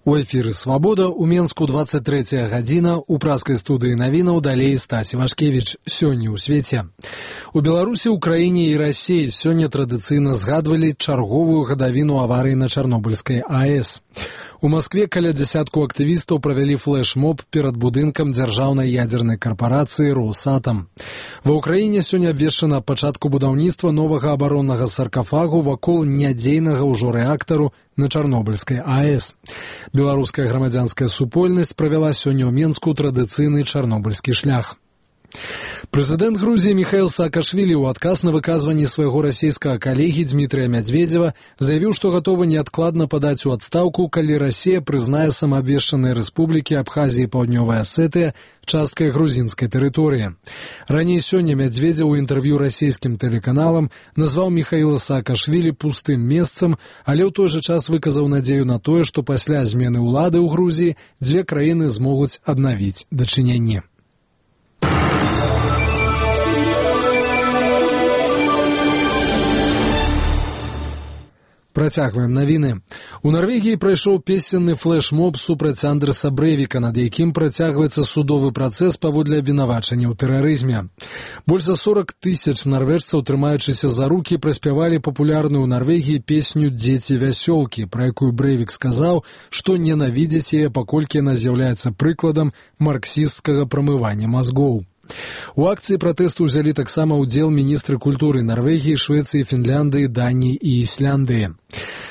У эфіры «Свабода» у Менску 23 гадзіна, у праскай студыі навінаў далей Стась Івашкевіч. Сёння ў свеце. У Беларусі, Украіне і Расіі сёння традыцыйна згадвалі чарговую гадавіну аварыі на Чарнобыльскай АЭС. У Маскве каля дзясятку актывістаў правялі флэш-моб перад будынкам дзяржаўнай ядзернай карпарацыі «Росатом». Ва ўкраіне сёння абвешчана пачатку будаўніцтва новага абароннага саркафагу вакол нядзейнага ўжо рэактару на Чарнобыльскай АЭС. Беларуская грамадзянская супольнасць правяла сёння ў Менску традыцыйны чарнобыльскі шлях. Прэзідэнт Грузіі Міхаіл Саакашвілі ў адказ на выказванні свайго расійскага калегі Дмітрыя Мядзведзева заявіў, што гатовы неадкладна падаць у адстаўку, калі Расія прызнае самаабвешчаныя рэспублікі Абхазія і Паўднёвая Асетыя часткай грузінскай тэрыторыі. Раней сёння Мядзведзеў у інтэрв'ю расійскім тэлеканалам назваў Міхаіла Саакашвілі пустым месцам, але ў той жа час выказаў надзею на тое, што пасля змены ўлады ў Грузіі дзве краіны змогуць аднавіць дачыненні. Працягваем навіны. У Нарвегіі прайшоў песенны флэш-моб супраць Андрэса Брэвіка, над якім працягваецца судовы працэс паводле абвінавачання ў тэрарызме. Больш за 40 тысяч нарвежцаў, трымаючыся за рукі, праспявалі папулярную ў Нарвегіі песню «Дзеці вясёлкі», пра якую Брэвік сказаў, што ненавідзіць яе, паколькі яна з'яўляецца прыкладам марксісцкага прамывання мазгоў. У акцыі пратэсту ўзялі таксама ўдзел міністры культуры Нарвегіі, Швецыі, Фінляндыі, Даніі і Ісляндыі.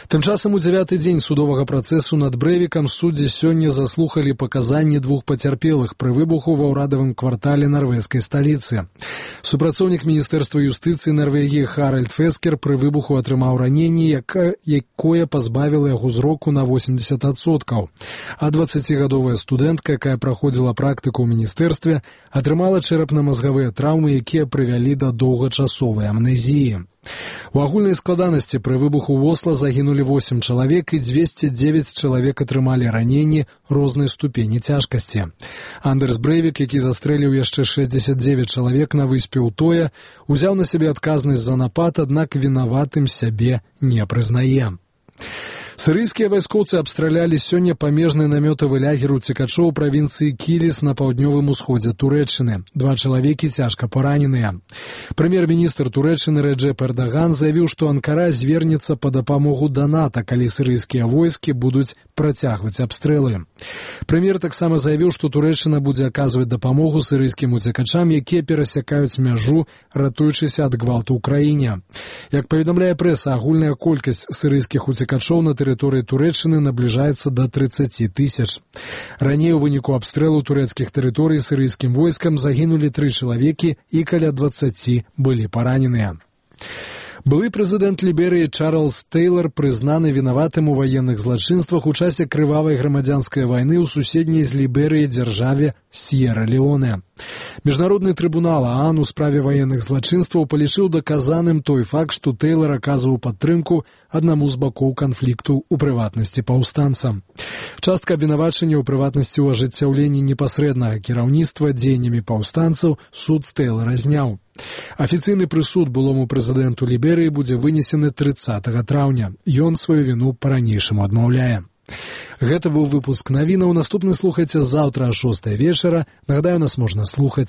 Тым часам у 9-й дзень судовага працэсу над Брэвікам суддзі сёння заслухалі паказанні двух пацярпелых пры выбуху ва ўрадавым квартале нарвежскай сталіцы. Супрацоўнік міністэрства юстыцыі Нарвегіі Харальд Фескер пры выбуху атрымаў раненне, якое пазбавіла яго зроку на 80%. А 20-гадовая студэнтка, якая праходзіла практыку ў міністэрстве, атрымала чэрапна-мазгавыя траўмы, якія прывялі да доўгачасовай амнезіі. У агульнай складанасці пры выбуху ў Осла загінулі 8 чалавек і 209 чалавек атрымалі раненні рознай ступені цяжкасці. Андрэс Брэвік, які застрэліў яшчэ 69 чалавек на выспе Утоя, узяў на сябе адказнасць за напад, аднак вінаватым сябе не прызнае. Сірыйскія вайскоўцы абстралялі сёння памежны намётавы лагер уцекачоў правінцыі Кіліс на паўднёвым усходзе Турэччыны. 2 чалавекі цяжка параненыя. Прэм'ер-міністр Турэччыны Рэджэп Эрдаган заявіў, што Анкара звернецца па дапамогу да НАТО, калі сірыйскія войскі будуць працягваць абстрэлы. Прэм'ер таксама заявіў, што Турэччына будзе аказваць дапамогу сірыйскім уцекачам, якія перасякаюць мяжу, ратуючыся ад гвалту ў краіне. Як паведамляе прэса, агульная колькасць сірыйскіх уцекачоў на тэрыторыі Турэччыны набліжаецца да 30 тысяч. Раней у выніку абстрэлу турэцкіх тэрыторый сірыйскім войскам загінулі 3 чалавекі і каля 20 былі параненыя. Былы прэзідэнт Ліберыі Чарльз Тэйлар прызнаны вінаватым у ваенных злачынствах у часе крывавай грамадзянскай вайны ў суседняй з Ліберыяй дзяржаве С'ера-Леоне. Міжнародны трыбунал ААН у справе ваенных злачынстваў палічыў даказаным той факт, што Тэйлар аказваў падтрымку аднаму з бакоў канфлікту, у прыватнасці паўстанцам. Частка абвінавачання ў прыватнасці ў ажыццяўленні непасрэднага кіраўніцтва дзеяннямі паўстанцаў суд з Тэйлара зняў. Афіцыйны прысуд былому прэзідэнту Ліберыі будзе вынесены 30 траўня. Ён сваю віну па-ранейшаму адмаўляе. Гэта быў выпуск навінаў. Наступны слухайце заўтра о 6 вечара. Нагадаю, нас можна слухаць